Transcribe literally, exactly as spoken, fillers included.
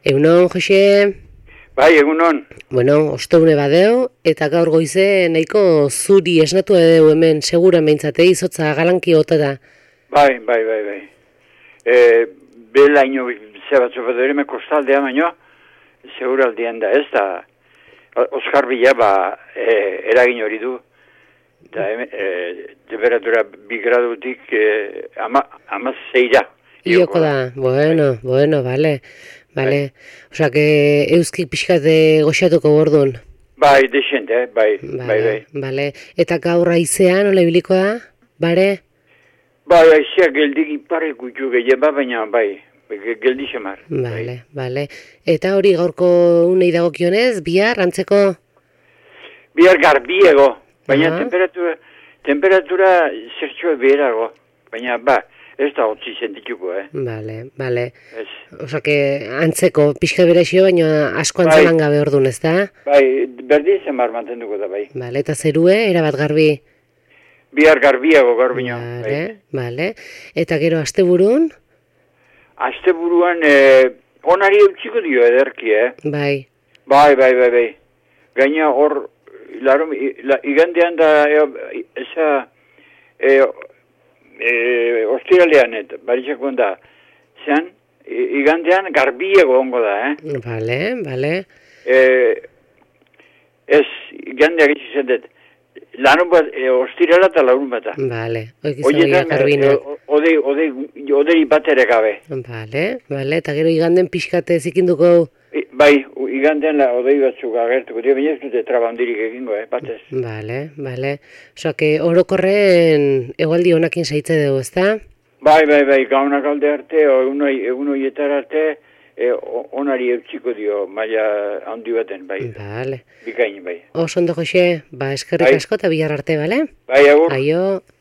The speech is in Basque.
Egunon, Jose? Bai, egunon. Bueno, osteune badeo, eta gaur goize nahiko zuri esnatu edeu hemen, segura meintzate, izotza galanki gota da. Bai, bai, bai, bai. E, bela ino zebatzu bat ere me kostaldea baino, seguraldian da ez da, Oskar Bila ba, e, eragin hori du. Eta e, temperatura bi gradutik e, ama, ama zeira. Ioko da, bueno, bai. bueno, bale. Bale, bai. Osa, que euskik pixkate goxatuko bordun. Bai, desente, eh? bai, Bale, bai, bai. Bale, eta gaur aizean, nola ibiliko da, bare? Bai, aizeak geldik ipare gutxu gehien, ba, baina, bai, geldi xamar. Bale, bai. Bale. Eta hori gaurko unei dagokionez, bihar, antzeko? Bihar garbiego, baina temperatura, temperatura zertxo beherago, baina, ba, ez da hotzi sentituko, eh? Bale, bale. Osa, que antzeko pixka berexio, baina asko antzelan gabe orduan, ez da? Bai, berdin zenbar mantenduko da, bai. Bale, eta zerue, erabat garbi? Bihar garbiago, garbino. Bale, bale. Eta gero, asteburun? Asteburuan, e, onari eutxiko dio ederki, eh? Bai. Bai, bai, bai, bai. Gaina hor, larum, la, igandean da, e, eza, e, E, ostiralean, eta baritxako da, zean, igandean garbiego ongo da, eh? Bale, bale. E, ez, igandeak izan dut, lanun bat, e, ostirala eta lanun bat da. Bale, oikizan garbina. Odei, odei, odei bat ere gabe. Bale, bale, eta gero iganden pixkate zikinduko? E, bai, igandean la odei batzuk agertuko, dira, baina ez dute trabandirik egingo, eh, batez. Bale, bale. Osa, que orokorren egualdi honakin saitze dugu, ezta? Bai, bai, bai, gaunak alde arte, o egun horietar arte, e, onari eutxiko dio, maila handi baten, bai. Bale. Bikain, bai. Oso ondo, Jose, ba, eskerrik asko eta bihar arte, bale? Bai, agur. Aio.